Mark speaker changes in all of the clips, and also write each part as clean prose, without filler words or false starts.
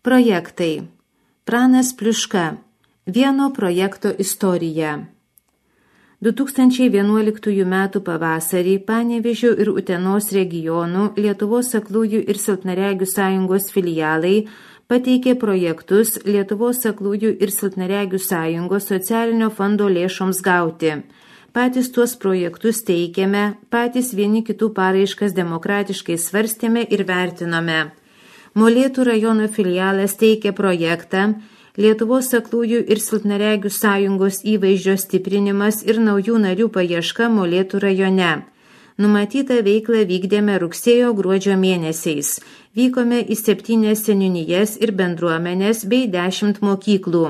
Speaker 1: Projektai. Pranas Pliuška. Vieno projekto istorija. 2011 m. pavasarį Panevėžio ir Utenos regionų Lietuvos aklųjų ir silpnaregių sąjungos filialai pateikė projektus Lietuvos aklųjų ir silpnaregių sąjungos socialinio fondo lėšoms gauti. Patys tuos projektus teikėme, patys vieni kitų paraiškas demokratiškai svarstėme ir vertinome. Molėtų rajono filialas teikė projektą Lietuvos aklųjų ir silpnaregių sąjungos įvaizdžio stiprinimas ir naujų narių paieška Molėtų rajone. Numatytą veiklą vykdėme rugsėjo-gruodžio mėnesiais. Vykome į 7 seniūnijas ir bendruomenės bei 10 mokyklų.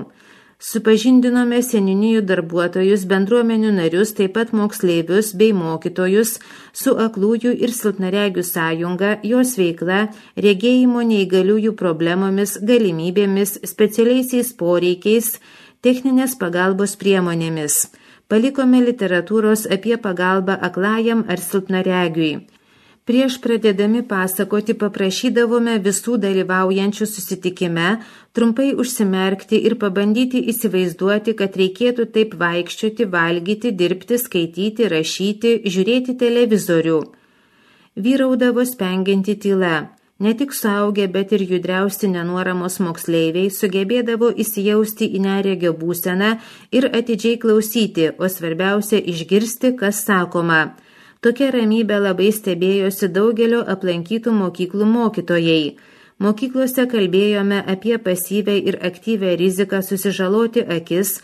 Speaker 1: Supažindinome seniūnijų darbuotojus, bendruomenių narius, taip pat moksleivius bei mokytojus su aklųjų ir silpnaregių sąjunga, jos veikla, regėjimo neįgaliųjų problemomis, galimybėmis, specialiaisiais poreikiais, techninės pagalbos priemonėmis. Palikome literatūros apie pagalbą aklajam ar silpnaregiui. Prieš pradėdami pasakoti paprašydavome visų dalyvaujančių susitikime trumpai užsimerkti ir pabandyti įsivaizduoti, kad reikėtų taip vaikščioti, valgyti, dirbti, skaityti, rašyti, žiūrėti televizorių. Vyraudavo spengianti tyla. Ne tik suaugę, bet ir judriausi nenuoramos moksleiviai sugebėdavo įsijausti į neregio būseną ir atidžiai klausyti, o svarbiausia išgirsti, kas sakoma. Tokia ramybė labai stebėjosi daugelio aplankytų mokyklų mokytojai. Mokyklose kalbėjome apie pasyvę ir aktyvę riziką susižaloti akis,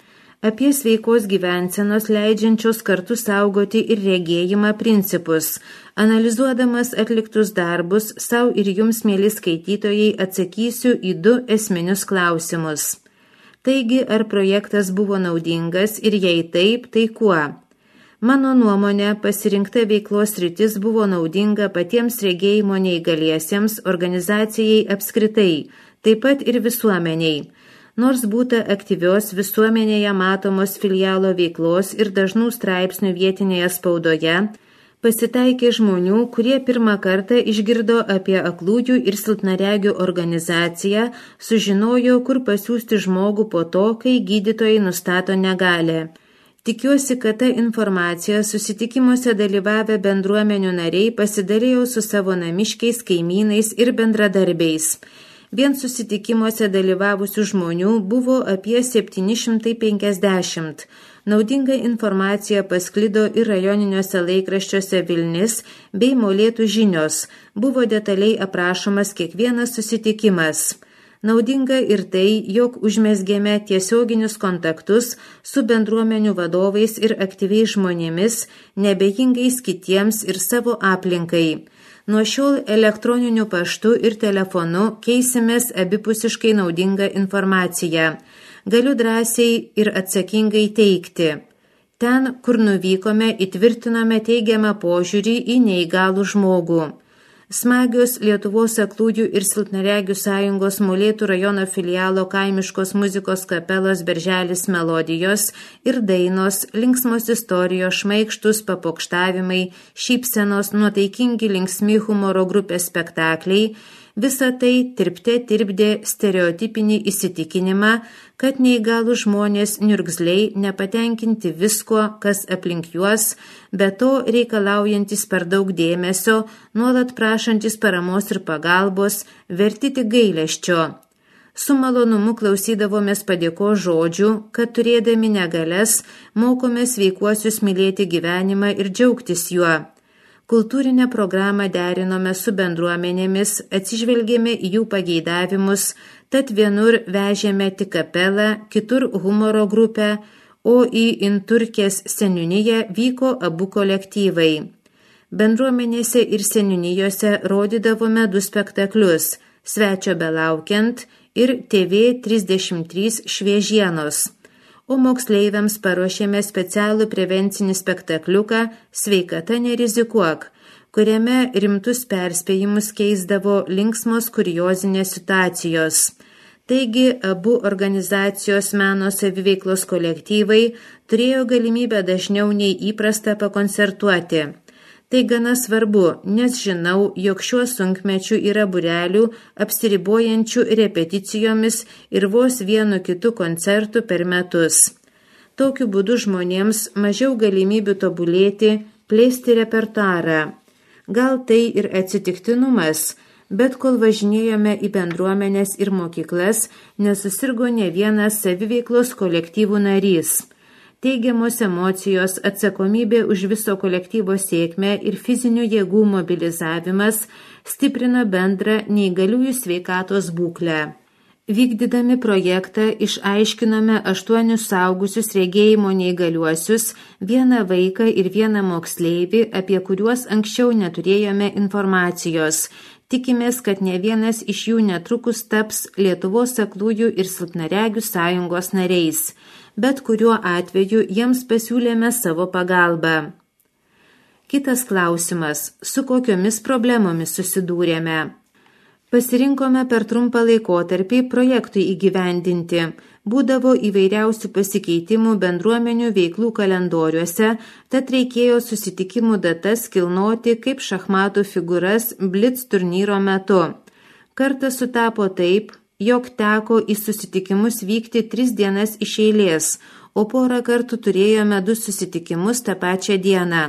Speaker 1: apie sveikos gyvensenos leidžiančios kartu saugoti ir regėjimą principus. Analizuodamas atliktus darbus, sau ir jums, mėly skaitytojai, atsakysiu į 2 esminius klausimus. Taigi, ar projektas buvo naudingas ir jei taip, tai kuo? Mano nuomonė, pasirinkta veiklos sritis buvo naudinga patiems regėjimo neįgaliesiems, organizacijai apskritai, taip pat ir visuomeniai. Nors būta aktyvios visuomenėje matomos filialo veiklos ir dažnų straipsnių vietinėje spaudoje, pasitaikė žmonių, kurie pirmą kartą išgirdo apie aklųjų ir silpnaregių organizaciją, sužinojo, kur pasiųsti žmogų po to, kai gydytojai nustato negalią. Tikiuosi, kad ta informacija susitikimuose dalyvavę bendruomenių nariai pasidalėjo su savo namiškiais, kaimynais ir bendradarbiais. Vien susitikimuose dalyvavusių žmonių buvo apie 750. Naudinga informacija pasklido ir rajoniniuose laikraščiuose Vilnis bei Molėtų žinios. Buvo detaliai aprašomas kiekvienas susitikimas. Naudinga ir tai, jog užmezgėme tiesioginius kontaktus su bendruomenių vadovais ir aktyviais žmonėmis, nebejingais kitiems ir savo aplinkai. Nuo šiol elektroniniu paštu ir telefonu keisimės abipusiškai naudingą informaciją. Galiu drąsiai ir atsakingai teikti. Ten, kur nuvykome, įtvirtinome teigiamą požiūrį į neįgalų žmogų. Smagios Lietuvos aklųjų ir silpnaregių sąjungos Molėtų rajono filialo kaimiškos muzikos kapelos Berželis melodijos ir dainos, linksmos istorijos, šmaikštus papokštavimai, šypsenos, nuotaikingi linksmi humoro grupės spektakliai, visa tai tirpdė stereotipinį įsitikinimą, kad neįgalų žmonės niurgzliai nepatenkinti visko, kas aplink juos, be to reikalaujantis per daug dėmesio, nuolat prašantis paramos ir pagalbos, verti tik gailesčio. Su malonumu klausydavomės padėkos žodžių, kad turėdami negalias, mokomės sveikuosius mylėti gyvenimą ir džiaugtis juo. Kultūrinę programą derinome su bendruomenėmis, atsižvelgėme į jų pageidavimus, tad vienur vežėme tik kapelą, kitur humoro grupę, o į Inturkės seniūniją vyko abu kolektyvai. Bendruomenėse ir seniūnijose rodydavome 2 spektaklius – Svečio belaukiant ir TV 33 šviežienos. O moksleiviams paruošėme specialų prevencinį spektakliuką Sveikata nerizikuok, kuriame rimtus perspėjimus keisdavo linksmos kuriozinės situacijos. Taigi, abu organizacijos meno saviveiklos kolektyvai turėjo galimybę dažniau nei įprasta pakoncertuoti. Tai gana svarbu, nes žinau, jog šiuo sunkmečiu yra būrelių apsiribojančių repeticijomis ir vos vienu kitu koncertu per metus. Tokiu būdu žmonėms mažiau galimybių tobulėti, plėsti repertuarą. Gal tai ir atsitiktinumas, bet kol važinėjome į bendruomenės ir mokyklas, nesusirgo ne vienas saviveiklos kolektyvų narys. Teigiamos emocijos, atsakomybė už viso kolektyvo sėkmę ir fizinių jėgų mobilizavimas stiprino bendrą neįgaliųjų sveikatos būklę. Vykdydami projektą išaiškinome 8 suaugusius regėjimo neįgaliuosius, 1 vaiką ir 1 moksleivį, apie kuriuos anksčiau neturėjome informacijos. Tikimės, kad ne vienas iš jų netrukus taps Lietuvos aklųjų ir silpnaregių sąjungos nariais, bet kuriuo atveju jiems pasiūlėme savo pagalbą. Kitas klausimas, su kokiomis problemomis susidūrėme? Pasirinkome per trumpą laikotarpį projektui įgyvendinti. Būdavo įvairiausių pasikeitimų bendruomenių veiklų kalendoriuose, tad reikėjo susitikimų datas kilnoti kaip šachmatų figūras Blitz turnyro metu. Kartą sutapo taip, jog teko į susitikimus vykti 3 dienas iš eilės, o porą kartų turėjome 2 susitikimus tą pačią dieną.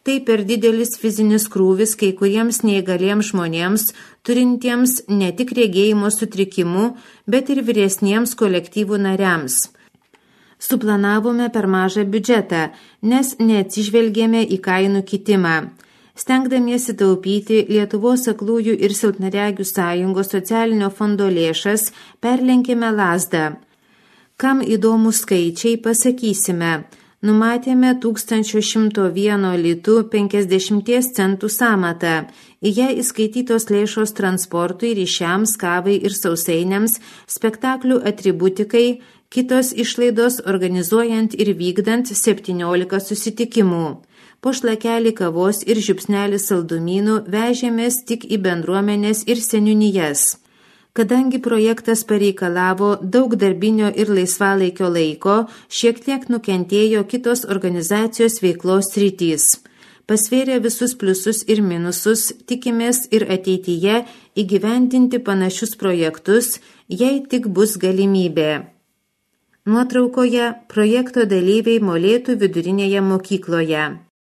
Speaker 1: Tai per didelis fizinis krūvis kai kuriems neįgaliems žmonėms, turintiems ne tik regėjimo sutrikimų, bet ir vyresniems kolektyvų nariams. Suplanavome per mažą biudžetą, nes neatsižvelgėme į kainų kitimą. Stengdamiesi taupyti Lietuvos aklųjų ir silpnaregių sąjungos socialinio fondo lėšas, perlenkėme lazdą. Kam įdomūs skaičiai, pasakysime. Numatėme 1101 litų 50 centų sąmatą. Į ją įskaitytos lėšos transportui, ryšiams, kavai ir sausainiams, spektaklių atributikai, kitos išlaidos organizuojant ir vykdant 17 susitikimų. Po šlakelį kavos ir žiupsnelį saldumynų vežėmės tik į bendruomenės ir seniūnijas. Kadangi projektas pareikalavo daug darbinio ir laisvalaikio laiko, šiek tiek nukentėjo kitos organizacijos veiklos sritys. Pasvėrę visus pliusus ir minusus, tikimės ir ateityje įgyvendinti panašius projektus, jei tik bus galimybė. Nuotraukoje projekto dalyviai Molėtų vidurinėje mokykloje.